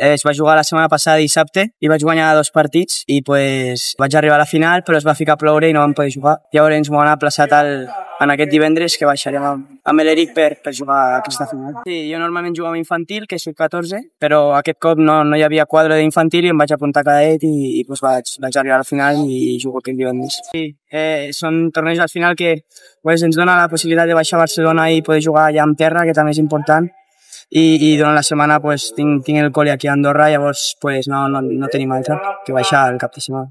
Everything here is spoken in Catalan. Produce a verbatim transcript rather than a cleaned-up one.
es va jugar la setmana passada dissabte i vaig guanyar dos partits i pues, vaig arribar a la final però es va ficar a ploure i no vam poder jugar. Llavors m'ho han aplaçat al, en aquest divendres que baixarem amb, amb l'Eric per, per jugar aquesta final. Sí, jo normalment jugo amb infantil, que soc catorze, però aquest cop no, no hi havia quadre d'infantil i em vaig apuntar a cadet i, i pues, vaig, vaig arribar a la final i jugo aquest divendres. Sí, eh, són tornejos al final que pues, ens dona la possibilitat de baixar a Barcelona i poder jugar allà en terra, que també és important. I, i durant la setmana pues, tinc, tinc el col·le aquí a Andorra, llavors pues, no, no, no tenim altra que baixar el cap de setmana.